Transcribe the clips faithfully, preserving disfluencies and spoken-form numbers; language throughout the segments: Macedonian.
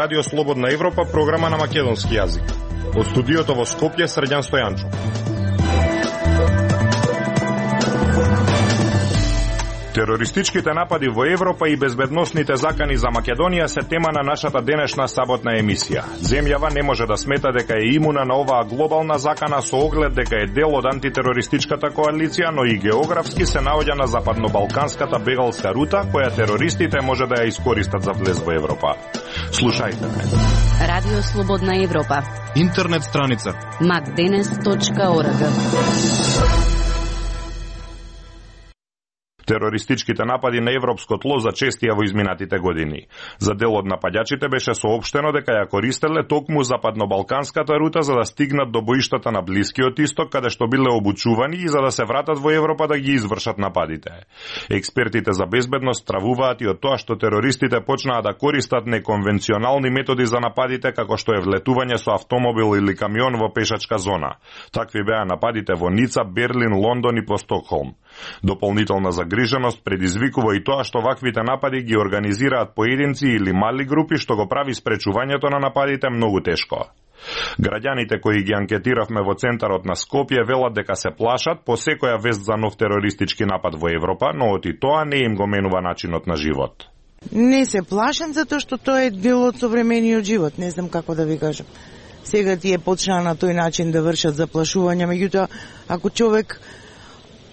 Радио Слободна Европа, програма на македонски јазик. Од студиото во Скопје, Срđan Стојанчов. Терористичките напади во Европа и безбедносните закани за Македонија се тема на нашата денешна саботна емисија. Земјава не може да смета дека е имуна на оваа глобална закана со оглед дека е дел од антитерористичката коалиција, но и географски се наоѓа на западно-балканската бегалска рута, која терористите може да ја искористат за влез во Европа. Слушајте ме. Радио Слободна Европа. Интернет страница макденес точка орг. Терористичките напади на европско тло зачестија во изминатите години. За дел од нападјачите беше соопштено дека ја користеле токму западно-балканската рута за да стигнат до боиштата на Блискиот Исток, каде што биле обучувани и за да се вратат во Европа да ги извршат нападите. Експертите за безбедност стравуваат и од тоа што терористите почнаа да користат неконвенционални методи за нападите, како што е влетување со автомобил или камион во пешачка зона. Такви беа нападите во Ница, Берлин, Лондон и по Стокхолм. Дополнителна загриженост предизвикува и тоа што ваквите напади ги организираат поединци или мали групи, што го прави спречувањето на нападите многу тешко. Граѓаните кои ги анкетиравме во центарот на Скопје велат дека се плашат по секоја вест за нов терористички напад во Европа, но од и тоа не им го менува начинот на живот. Не се плашам затоа што тоа е дел од современиот живот, не знам како да ви кажам. Сега тие почнаа на тој начин да вршат заплашувања, меѓутоа ако човек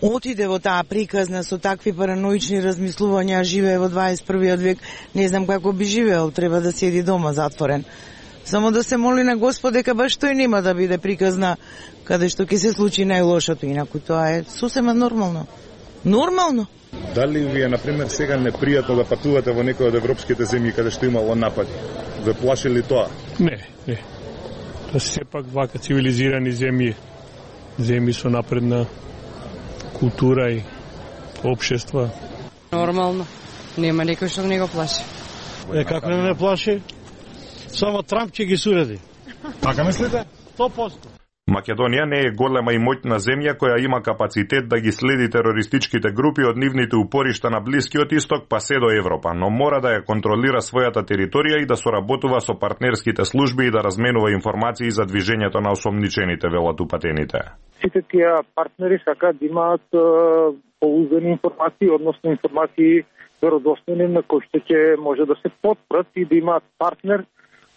отиде во таа приказна со такви параноични размислувања, живее во дваесет и првиот век, не знам како би живеел, треба да седи дома затворен. Само да се моли на Господ дека баш тој нема да биде приказна каде што ќе се случи најлошото, инаку тоа е сосема нормално. Нормално. Дали ви е, например, сега непријатно да патувате во некој од европските земји каде што имало напади? Ве плаши ли тоа? Не, не. Тоа се сепак вака цивилизирани земји, земји со напредна култура и општества. Нормално. Нема некој што не го плаши. Е, како не ме плаши? Само Трамп ќе ги суреди. Така мислите? сто проценти. Македонија не е голема и моќна земја која има капацитет да ги следи терористичките групи од нивните упоришта на Блискиот Исток па се до Европа, но мора да ја контролира својата територија и да соработува со партнерските служби и да разменува информации за движењето на осомничените, велат упатените. Сите тие партнери сакаат да имаат поуздани информации, односно информации веродостојни на кои што ќе може да се потпрат и да имаат партнер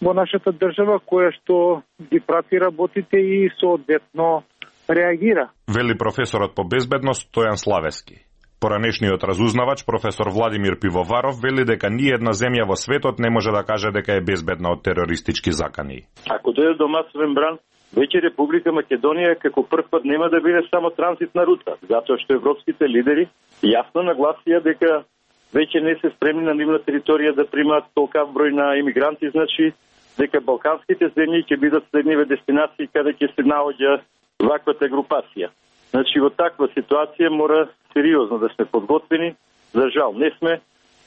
во нашата држава која што ги прати работите и соодветно реагира. Вели професорот по безбедност Стојан Славески. Поранешниот разузнавач професор Владимир Пивоваров вели дека ни една земја во светот не може да каже дека е безбедна од терористички закани. Ако дојде до масовен бран, веќе Република Македонија како прв пат нема да биде само транзитна рута, затоа што европските лидери јасно нагласија дека веќе не се спремни на нивна територија да примаат толкав број на имигранти, значи дека балканските земји ќе бидат следниве дестинации каде ќе се наоѓа ваквата групација. Значи во таква ситуација мора сериозно да сме подготвени, за жал не сме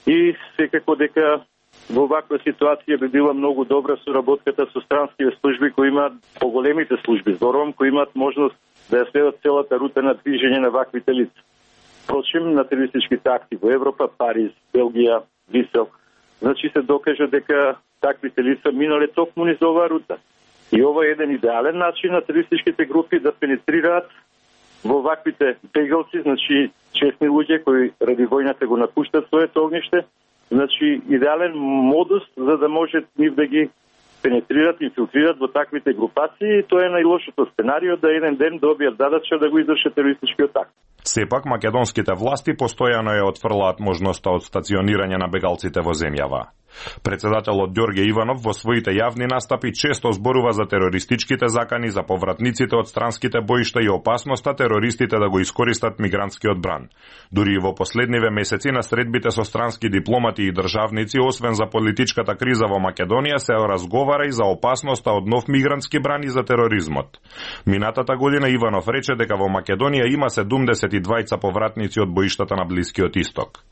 и секако дека во ваква ситуација би била многу добра соработката со странските служби кои имаат поголемите служби, зборувам, кои имаат можност да ја следат целата рута на движење на ваквите лица. Впрочем, на терористичките акти во Европа, Париз, Белгија, Брисел, значи се докажа дека таквите лица минале токму низ оваа рута. И ова е еден идеален начин на терористичките групи да пенетрираат во ваквите бегалци, значи честни луѓе кои ради војната го напуштат своето огниште, значи идеален модус за да може нив да ги пенетрират, инфилтрират во таквите групации и тоа е најлошото сценарио да еден ден добијат задача да го извршат терористичкиот акт. Сепак, македонските власти постојано ја отфрлаат можноста од стационирање на бегалците во земјава. Председателот Ѓорѓе Иванов во своите јавни настапи често зборува за терористичките закани, за повратниците од странските боишта и опасноста терористите да го искористат мигрантскиот бран. Дури и во последниве месеци на средбите со странски дипломати и државници, освен за политичката криза во Македонија, се разговара и за опасноста од нов мигрантски бран и за тероризмот. Минатата година Иванов рече дека во Македонија има седумдесет и двајца повратници од боиштата на Блискиот Исток.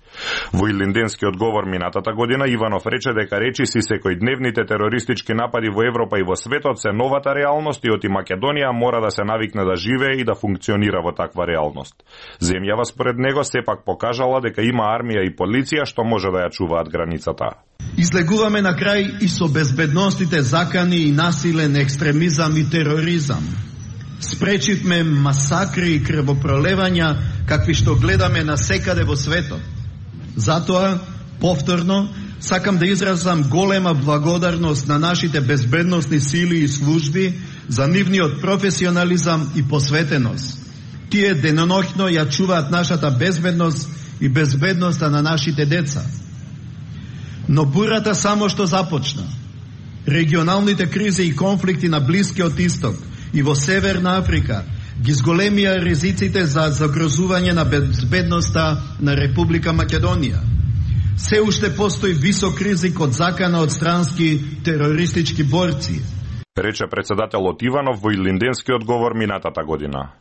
Во Илинденскиот говор минатата година Иванов рече дека речиси секојдневните терористички напади во Европа и во светот се новата реалност и оти Македонија мора да се навикне да живее и да функционира во таква реалност. Земјава според него сепак покажала дека има армија и полиција што може да ја чуваат границата. Излегуваме на крај и со безбедностите закани и насилен екстремизам и тероризам. Спречивме масакри и крвопролевања какви што гледаме насекаде во светот. Затоа, повторно, сакам да изразам голема благодарност на нашите безбедносни сили и служби за нивниот професионализам и посветеност. Тие деноноќно ја чуваат нашата безбедност и безбедноста на нашите деца. Но бурата само што започна. Регионалните кризи и конфликти на Блискиот Исток и во Северна Африка ги зголемија ризиците за загрозување на безбедноста на Република Македонија. Се уште постои висок ризик од закана од странски терористички борци, рече председателот Иванов во Илинденскиот говор минатата година.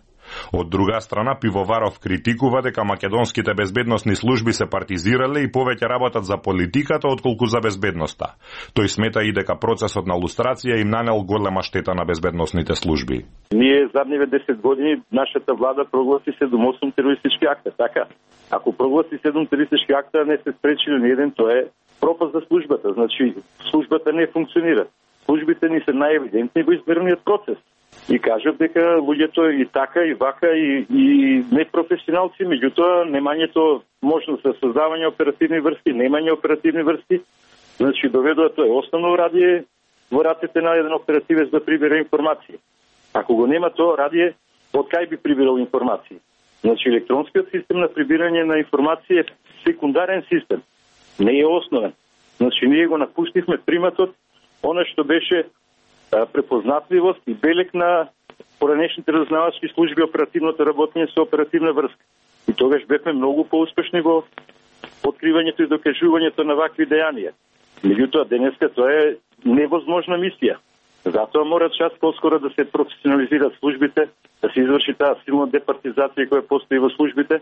Од друга страна, Пивоваров критикува дека македонските безбедносни служби се партизирале и повеќе работат за политиката отколку за безбедноста. Тој смета и дека процесот на лустрација им нанел голема штета на безбедносните служби. Ние задниве десет години нашата влада прогласи седум осум терористички акта, така? Ако прогласи седум терористички акта, не се спречили ни еден, тоа е пропаст за службата. Значи, службата не функционира. Службите ни се најевидентни во изборниот процес. И кажат дека луѓето и така, и вака, и, и непрофесионалци, меѓутоа немањето можност за создавање оперативни врски, немање оперативни врски, значи доведува тоа е основно радие во рацете на еден оперативец да прибира информации. Ако го нема тоа радие, од кај би прибирал информации? Значи електронскиот систем на прибирање на информации е секундарен систем, не е основен. Значи ние го напуштивме приматот, она што беше препознатливост и белек на поранешните разузнавачки служби, оперативното работење со оперативна врска. И тогаш бевме многу поуспешни во откривањето и докажувањето на вакви дејанија. Меѓутоа, денеска тоа е невозможна мисија. Затоа мора час поскоро да се професионализираат службите, да се изврши таа силна департизација која постои во службите,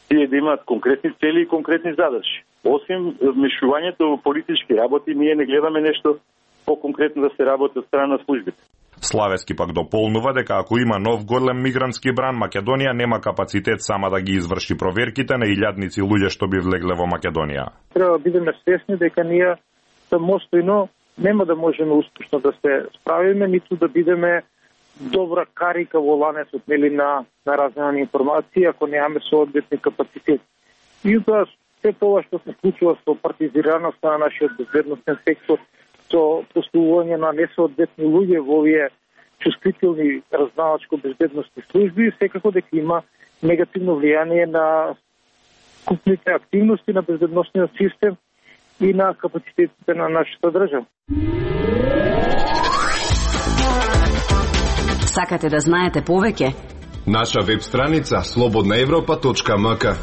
тие да имаат конкретни цели и конкретни задачи. Осим вмешувањето во политички работи, ние не гледаме нешто по-конкретно да се работи од страна на службите. Славески пак дополнува дека ако има нов голем мигрантски бран, Македонија нема капацитет сама да ги изврши проверките на илјадници луѓе што би влегле во Македонија. Треба да бидеме свесни дека ние самостојно нема да можеме успешно да се справиме, ниту да бидеме добра карика во ланецот нели на на размена на информации ако немаме соодветни капацитет. И тоа се тоа што се случува со партизираноста на нашиот безбедносен сектор, со постулување на несоодветни луѓе во овие чувствителни разузнавачко-безбедносни служби, секако дека има негативно влијание на купните активности на безбедносниот систем и на капацитетите на нашата држава. Сакате да знаете повеќе? Наша веб страница слободна европа точка ем ка.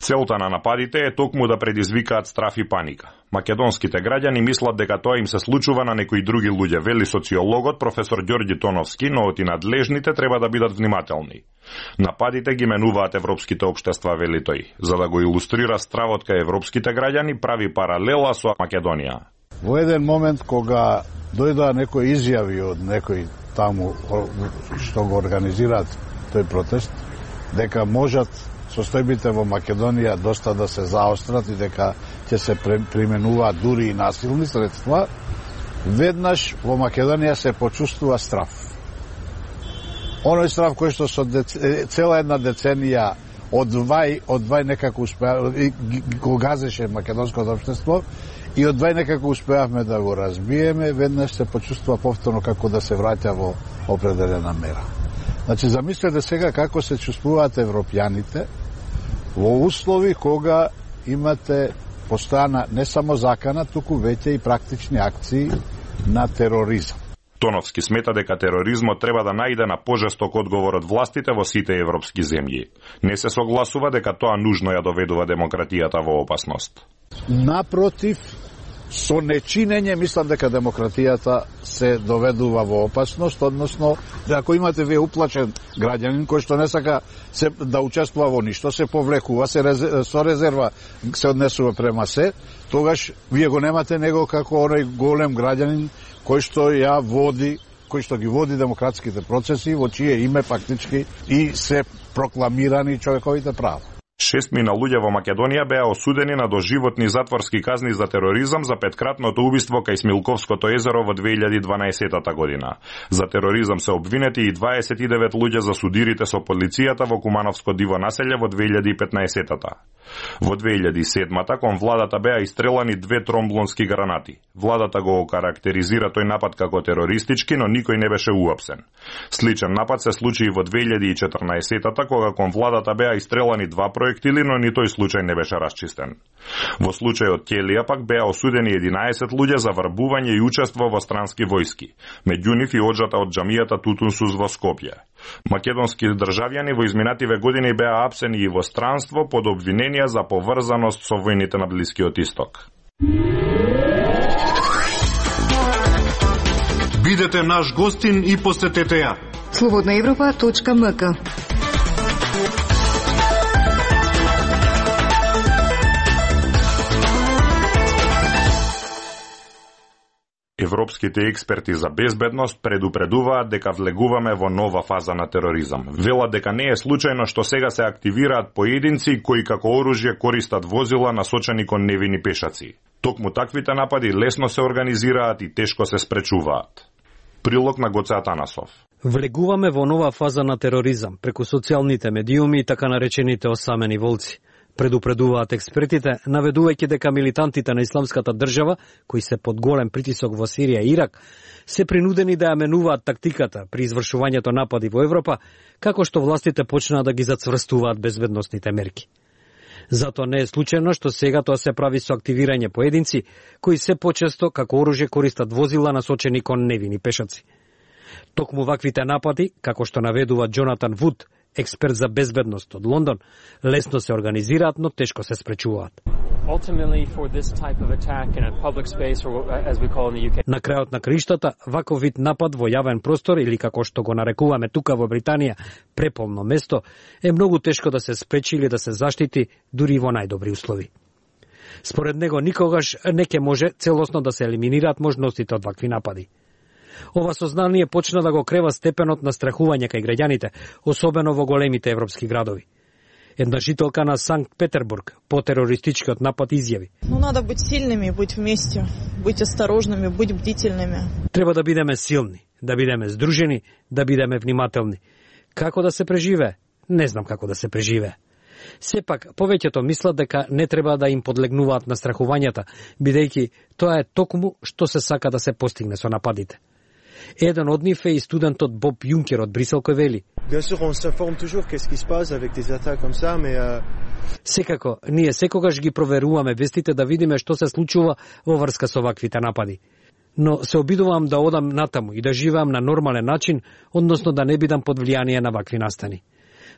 Целта на нападите е токму да предизвикаат страф и паника. Македонските граѓани мислат дека тоа им се случува на некои други луѓе, вели социологот професор Ѓорѓи Тоновски, но и надлежните треба да бидат внимателни. Нападите ги менуваат европските општества, вели тој. За да го илустрира стравот кај европските граѓани, прави паралела со Македонија. Во еден момент кога дојдоа некои изјави од некои таму што го организираат тој протест, дека можат состојбите во Македонија доста да се заострат и дека ќе се применуваат дури и насилни средства, веднаш во Македонија се почувствува страф. Оној страф кој што со дец... цела една деценија одвај, одвај некако успеа, го газеше македонското општество и одвај некако успеавме да го разбиеме, веднаш се почувствува повторно како да се враќа во определена мера. Значи, замислете сега како се чувствуваат европјаните во услови кога имате постојана не само закана, туку веќе и практични акции на тероризам. Тоновски смета дека тероризмот треба да најде на пожесток одговор од властите во сите европски земји. Не се согласува дека тоа нужно ја доведува демократијата во опасност. Напротив, со нечинење мислам дека демократијата се доведува во опасност, односно ако имате вие уплачен граѓанин кој што не сака се да учествува во ништо, се повлекува, се резер, со резерва се однесува према се, тогаш вие го немате него како оној голем граѓанин кој што ја води кој што ги води демократските процеси, во чие име фактички и се прокламирани човековите права. Шестмина луѓе во Македонија беа осудени на доживотни затворски казни за тероризам за петкратното убиство кај Смилковското езеро во две илјади и дванаесетта година. За тероризам се обвинети и дваесет и девет луѓе за судирите со полицијата во Кумановско диво населје во две илјади и петнаесетта. Во две илјади и седмата кон владата беа истрелани две тромблонски гранати. Владата го карактеризира тој напад како терористички, но никој не беше уапсен. Сличен напад се случи и во две илјади и четрнаесетта кога кон владата беа истрелани два проектили, но ни тој случај не беше расчистен. Во случајот Ќелија пак беа осудени единаесет луѓе за врбување и учество во странски војски, меѓу нив и оџата од џамијата Тутунсус во Скопје. Македонски државјани во изминативе години беа апсени и во странство под обвиненија за поврзаност со војните на Блискиот Исток. Бидете наш гостин и посетете ја. слободна европа точка ем ка. Европските експерти за безбедност предупредуваат дека влегуваме во нова фаза на тероризам. Велат дека не е случајно што сега се активираат поединци кои како оружје користат возила насочени кон невини пешаци. Токму таквите напади лесно се организираат и тешко се спречуваат. Прилог на Гоце Атанасов. Влегуваме во нова фаза на тероризам преку социјалните медиуми и така наречените осамени волци. Предупредуваат експертите, наведувајќи дека милитантите на исламската држава, кои се под голем притисок во Сирија и Ирак, се принудени да ја менуваат тактиката при извршувањето напади во Европа, како што властите почнаа да ги зацврстуваат безбедносните мерки. Затоа не е случајно што сега тоа се прави со активирање поединци, кои се почесто како оружје користат возила насочени кон невини пешаци. Токму ваквите напади, како што наведува Джонатан Вуд, експерт за безбедност од Лондон, лесно се организираат, но тешко се спречуваат. На крајот на краиштата, ваков вид напад во јавен простор или како што го нарекуваме тука во Британија, преполно место, е многу тешко да се спречи или да се заштити дури во најдобри услови. Според него никогаш не ќе може целосно да се елиминираат можностите од вакви напади. Ова сознание почна да го крева степенот на страхување кај граѓаните, особено во големите европски градови. Една жителка на Санкт Петербург по терористичкиот напад изјави: "Ну надо бить силними, бить вместе, бить осторожними, бить бдительними." Треба да бидеме силни, да бидеме здружени, да бидеме внимателни. Како да се преживее? Не знам како да се преживее. Сепак, повеќето мислат дека не треба да им подлегнуваат на страхувањата, бидејќи тоа е токму што се сака да се постигне со нападите. Еден од нив е и студентот Боб Юнкер од Брисел кој вели: "Секако, ние секогаш ги проверуваме вестите да видиме што се случува во врска со ваквите напади. Но се обидувам да одам натаму и да живеам на нормален начин, односно да не бидам под влијание на вакви настани."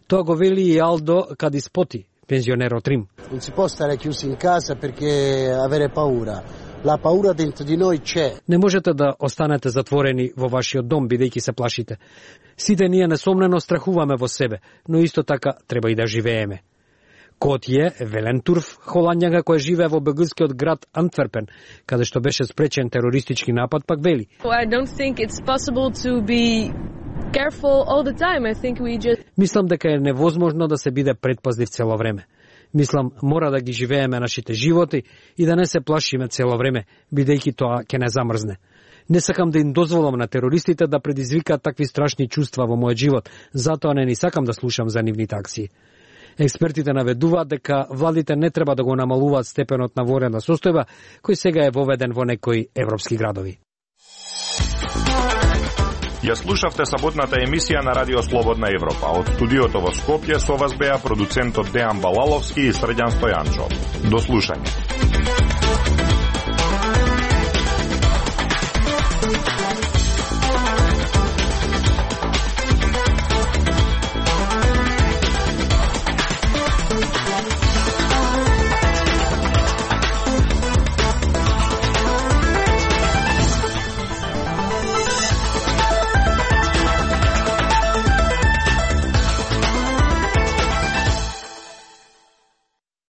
Тоа го вели и Алдо Кадиспоти, пензионер од Рим. Non si può stare chiusi in casa perché avere paura. La paura dentro di noi c'è. Не можете да останете затворени во вашиот дом бидејќи се плашите. Сите ние несомнено страхуваме во себе, но исто така треба и да живееме. Котје Велентурф, холандјанка која живее во белгискиот град Антверпен, каде што беше спречен терористички напад, пак вели: I don't think it's possible to be careful all the time. I think we just Мислам дека е невозможно да се биде предпазлив цело време. Мислам, мора да ги живееме нашите животи и да не се плашиме цело време, бидејќи тоа ќе не замрзне. Не сакам да им дозволам на терористите да предизвикаат такви страшни чувства во мојот живот, затоа не ни сакам да слушам за нивните акции. Експертите наведуваат дека владите не треба да го намалуваат степенот на воена состојба, кој сега е воведен во некои европски градови. Ја слушавте саботната емисија на Радио Слободна Европа. Од студиото во Скопје со вас беа продуцентот Дејан Балаловски и Срđan Стојанчов. До слушање.